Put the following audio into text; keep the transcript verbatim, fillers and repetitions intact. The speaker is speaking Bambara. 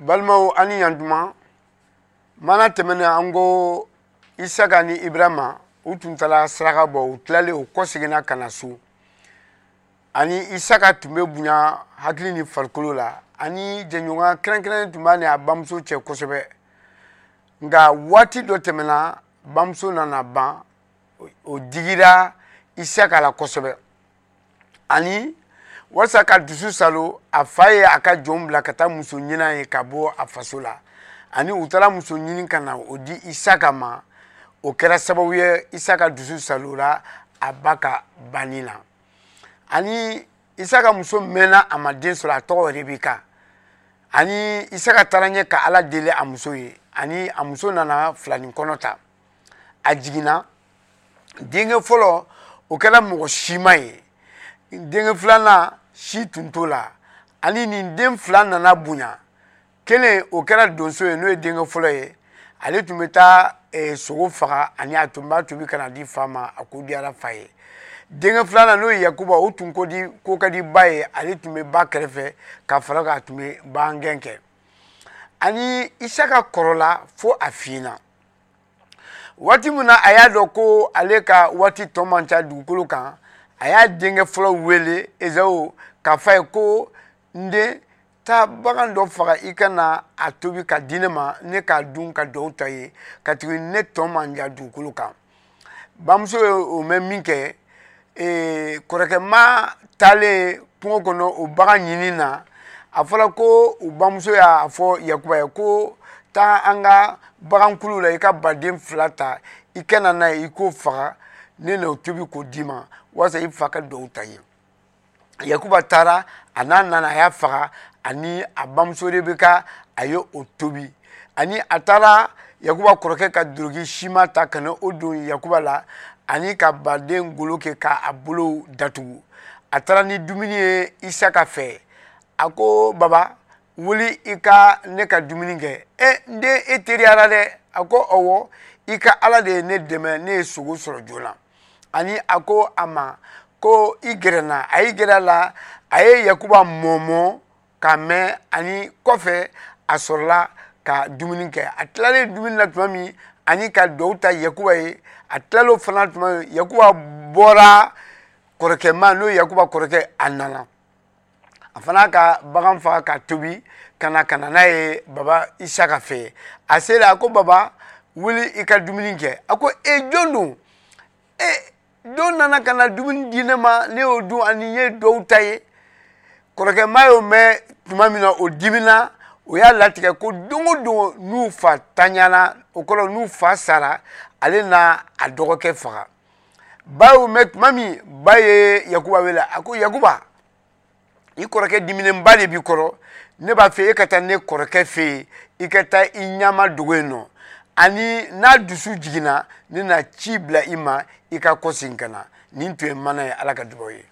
Balimaw, ani yantuma. Mana tɛmɛnen, an ko Isaka ni Ibrahima, u tun taara saraka bɔ. U tilalen, u kɔseginna ka na so. Ani Isaka tun bɛ bonya hakili ni farikolo la, ani jɛɲɔgɔnya kɛrɛnkɛrɛnnen tun b'a ni a bamuso cɛ kosɛbɛ. Nka waati dɔ tɛmɛna, bamuso nana ban. O digira Isaka la kosɛbɛ. Ani walasa ka dusu salo, a fa ye a ka jɔn bila ka taa muso ɲini ye ka bɔ a faso la. Ani u taara muso ɲini ka na o di Isaka ma. O kɛra sababu ye, Isaka dusu salola a ba ka banni na. Ani Isaka muso mɛnna, a ma den sɔrɔ. A tɔgɔ Rebeka. Ani Isaka taara ɲɛ ka Ala deli a muso ye. Ani a muso nana filanin kɔnɔ ta. A jiginna denkɛ fɔlɔ, o kɛra mɔgɔ sima ye. Denkɛ filanan, si tun t'o la. Ani nin den fila nana bonya. Kelen, o kɛra donso ye, n'o ye denkɛ fɔlɔ ye. Ale tun bɛ taa eh, sogo faga, ani a tun b'a tobi ka na di fa ma. A ko diyara fa ye. Denkɛ filanan, n'o ye Yakuba, o tun ko di ko ka di ba ye. Ale tun bɛ ba kɛrɛfɛ ka fara kan, a tun bɛ bagangɛn kɛ. Ani Isaka kɔrɔla fo a fiɲɛna. Waati min na a y'a dɔn ko ale ka waati tɔ man ca dugukolo kan, a y'a denkɛ fɔlɔ wele, Ezawu, k'a fɔ a ye ko: "N den, taa bagan dɔ faga, i ka na a tobi ka di ne ma, ne k'a dun ka duwawu ta ye, ka tuguni ne tɔ man jan dugukolo kan." Bamuso ye o mɛn min kɛ, ee, kɔrɔkɛma taalen kungo kɔnɔ o bagan ɲini na, a fɔra ko u bamuso y'a fɔ Yakuba ye ko: "Taa an ka bagankulu la, i ka baden fila ta, i ka na n'a ye, i k'o faga, ne n'o tobi k'o d'i ma, walasa i fa ka duwawu ta ye." Yakuba taara, a n'a nana, a y'a faga, ani a bamuso Rebeka, a ye o tobi. Ani a taara Yakuba kɔrɔkɛ ka doroki sima ta ka na o don Yakuba la, ani ka baden golo kɛ k'a bolo datugu. A taara ni dumuni ye Isaka fɛ. A ko: "Baba, wuli i ka ne ka dumuni kɛ." "E n den, e teriyara dɛ." A ko: "Ɔwɔ, i ka Ala de ye ne dɛmɛ, ne ye sogo sɔrɔ joona." Ani a ko a ma ko: "I gɛrɛ na." A y'i gɛrɛ a la, a ye Yakuba mɔmɔ k'a mɛn. Ani kɔfɛ, a sɔrɔla ka dumuni kɛ. A tilalen dumuni na tuma min, ani ka duwawu ta Yakuba ye, a tilal'o fana tuma min, Yakuba bɔra kɔrɔkɛma, n'o ye Yakuba kɔrɔkɛ, a nana, a fana ka bagan faga ka tobi ka na ka na n'a ye baba Isaka fɛ. A sera, a ko: "Baba, wuli i ka dumuni kɛ." A ko: "E, jɔn don? E don nana ka na dumuni di ne ma, ne y'o dun, ani n ye duwawu ta ye." Kɔrɔkɛma y'o mɛn tuma min na, o dimina. O y'a latigɛ ko don o don n'u fa taɲana, o kɔrɔ n'u fa sara, ale n'a a dɔgɔkɛ faga. Ba y'o mɛn tuma min, ba ye Yakuba wele. A ko: "Yakuba, i kɔrɔkɛ diminenba de b'i kɔrɔ. Ne b'a fɛ e ka taa ne kɔrɔkɛ fɛ yen, i ka taa i ɲama dogo yen nɔ. Ani n'a dusu jiginna, ne na ci bila i ma, i ka kɔsegin ka na." Nin tun ye mana ye. Ala ka dugawu ye.